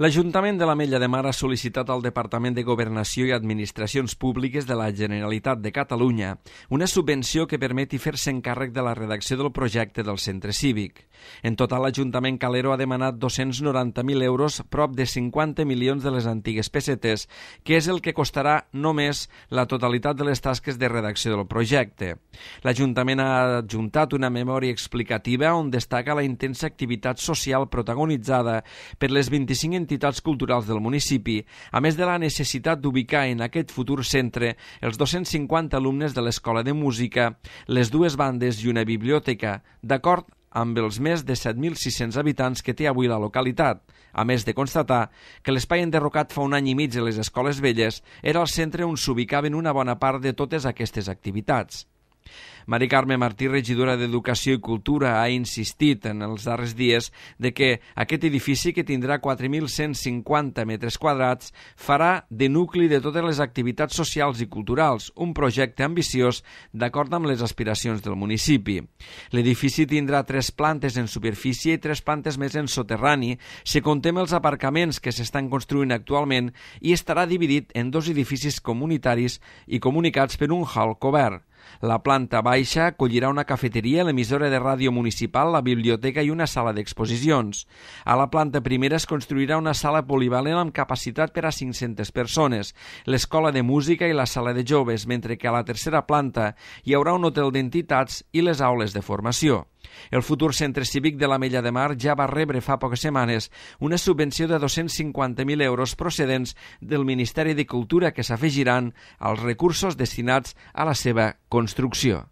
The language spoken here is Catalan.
L'Ajuntament de l'Ametlla de Mar ha sol·licitat al Departament de Governació i Administracions Públiques de la Generalitat de Catalunya una subvenció que permeti fer-se encàrrec de la redacció del projecte del centre cívic. En total, l'Ajuntament Calero ha demanat 290.000 euros, prop de 50 milions de les antigues pessetes, que és el que costarà només la totalitat de les tasques de redacció del projecte. L'Ajuntament ha adjuntat una memòria explicativa on destaca la intensa activitat social protagonitzada per les 25 entitats culturals del municipi, a més de la necessitat d'ubicar en aquest futur centre els 250 alumnes de l'Escola de Música, les dues bandes i una biblioteca, d'acord amb els més de 7.600 habitants que té avui la localitat, a més de constatar que l'espai enderrocat fa un any i mig de les escoles velles era el centre on s'ubicaven una bona part de totes aquestes activitats. Mari Carme Martí, regidora d'Educació i Cultura, ha insistit en els darrers dies de que aquest edifici, que tindrà 4.150 metres quadrats, farà de nucli de totes les activitats socials i culturals, un projecte ambiciós d'acord amb les aspiracions del municipi. L'edifici tindrà 3 plantes en superfície i 3 plantes més en soterrani, si comptem els aparcaments que s'estan construint actualment, i estarà dividit en 2 edificis comunitaris i comunicats per un hall cobert. La planta baixa acollirà una cafeteria, l'emissora de ràdio municipal, la biblioteca i una sala d'exposicions. A la planta primera es construirà una sala polivalent amb capacitat per a 500 persones, l'escola de música i la sala de joves, mentre que a la tercera planta hi haurà un hotel d'entitats i les aules de formació. El futur centre cívic de l'Ametlla de Mar ja va rebre fa poques setmanes una subvenció de 250.000 euros procedents del Ministeri de Cultura que s'afegiran als recursos destinats a la seva construcció.